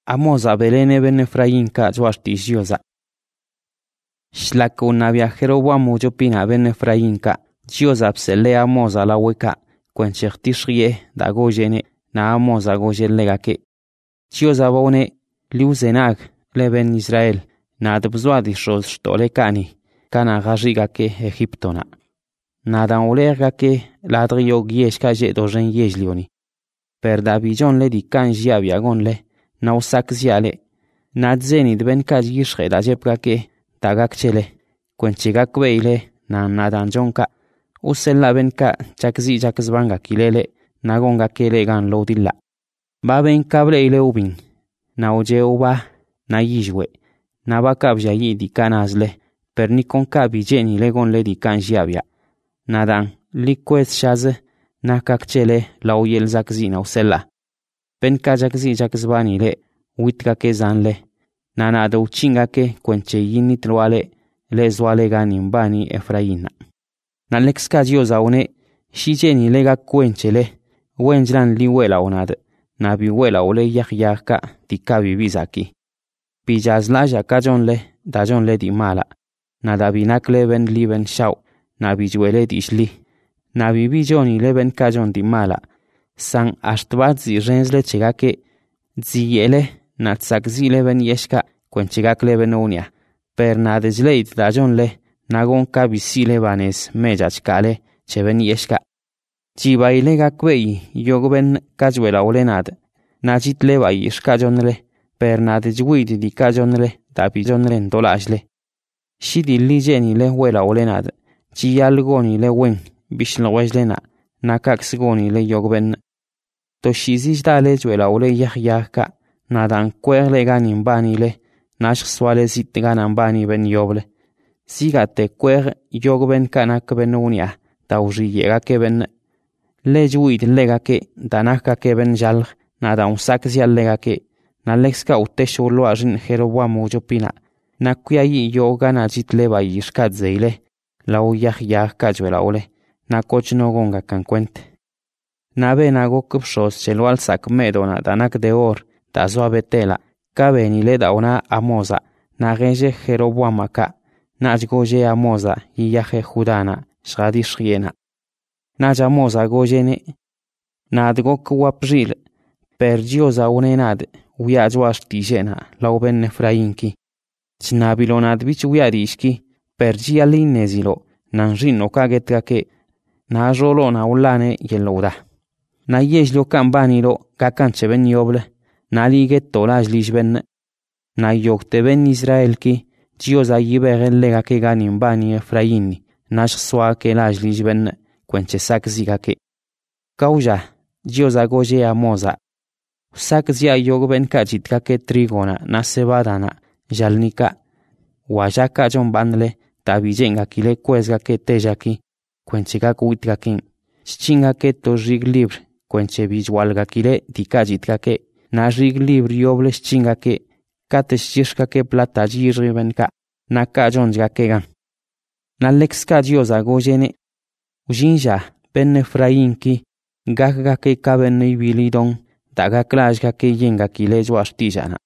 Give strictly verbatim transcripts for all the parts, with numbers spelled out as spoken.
Amoza belene ben Efraín ka juashtish Diosa. Shlaka unabia Jeroboam jopina ben Efraín ka Diosa psele Amoza la weka kwenchirtishrie da gojene na Amoza gojelegake. Diosa bone liuzenag le ben Israel na dbzwadi shoz shtolekani kana gajigake Egiptona. Na dan olergake ladrio gieshka je dojen yejlioni. Per Davijon le dikan jiabia gonle na usak ziale na dzeni dben kaj yishre da jepgake tagak chele kwenchigak beile na nadan jonka usella benka chakzi jakzbanga kilele na gonga kele gan lodilla ba ben kable ile ubin na oje uba na yijwe na bakabja yi dikanazle per ni konka bijeni le gonle dikan jiabia nadan likwet shaze na kakchele la uyel zakzi na usella benka jakzi jakzbani le witka ke zanle nana do chinga ke kwenche yini trwale le zwale gani mbani Efraina na lexka Diosa une shijeni lega kwenchele wenjlan liwela onad na biwela ole yahyaka tikabi bizaki bijazla kajonle dajonle di mala na dabinakle ben liben shaw na bijwele dishli na bibijoni leben kajon di mala san ashtbat zi renzle chegake ziyele na tsakzile ben yeshka kwenchigakle ben unia per na dejleit dajonle nagon kabisile banes mejachkale cheben yeshka chibaile gakwei yogben kajwela olenad na jitle bai shkajonle per na dejwid di kajonle dabijonle ndolajle shidilli jenile wela olenad chiyalgoni le wen bishlwajlena na kaksgoni le yogben to shizish dale jwela ole yahyaka nadan kwerle ganin bani le nash swale zit ganan bani ben yoble sigate kwer yogben kanak ben unia tawri yega ke ben le juid lega ke danaka ke ben jal nadan sak zial lega ke na lexka utesholo ajin Jeroboam jopina na kuyayi yoga na jitle ba yishkat zeile la yahyaka jwela ole na kochno gonga kankwent na ben agok pshos chelo al sak medona danak de or da zoabetela kabeni le dauna Amoza na genje Jeroboamaka na goje Amoza yahe Judana shadi shriena na Amoza gojene na dgok wapjil per Diosa unenad wiajwash tijena lauben Efrainki chnabilonad bich wiarishki per jialinezilo nanjino kagetkake na jolo na ulane yelouda na yejlo kambanilo kakanche ben yoble na liget tolaj lishben na yokte ben Israelki Diosa yibegen lega ke ganin bani Efraini nash swa ke laj lishben kwenche sak zigake kauja Diosa goje Amoza sak zia yogben kajitka ke trigona na sebadana jalnika wajaka jon bandle tabijenga kile kwezga ke tejaki kwenchika kuitgakin chinga ke to rig libre kwenche bijwalga kile dikajitka ke na rig libre yoble chinga ke kateshishka ke plata jirbenka na kajonja ke gan na lexka Diosa gojene ujinja ben Efrainki gakga ke kaben ibilidon daga klashga ke yenga kile jwashtijana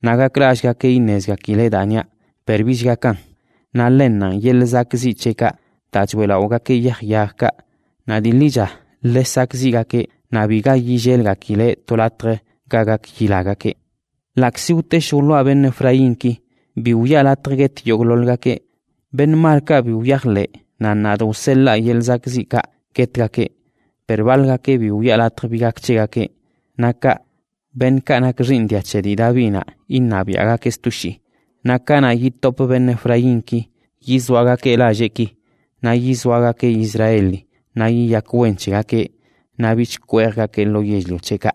naga klashga ke inezga kile danya perbishga kan na lennan yelzakzi cheka tachwela oga ke yahyaka na dilija lesakziga ke nabiga yijelga kile tolatre gaga kilaga ke laksiute sholo ben Efrainki biuya latreget yoglolga ke ben marka biuyahle na nado sella yelzakzika ketka ke pervalga ke biuya latrebiga chega ke naka ben kanak rindia chedi davina innabiaga ke stushi nakana yitop ben Efrainki yizwaga ke lajeki na yizwaga ke Israeli na yiyakwenchiga ke na bichkwerga ke lo yejlo cheka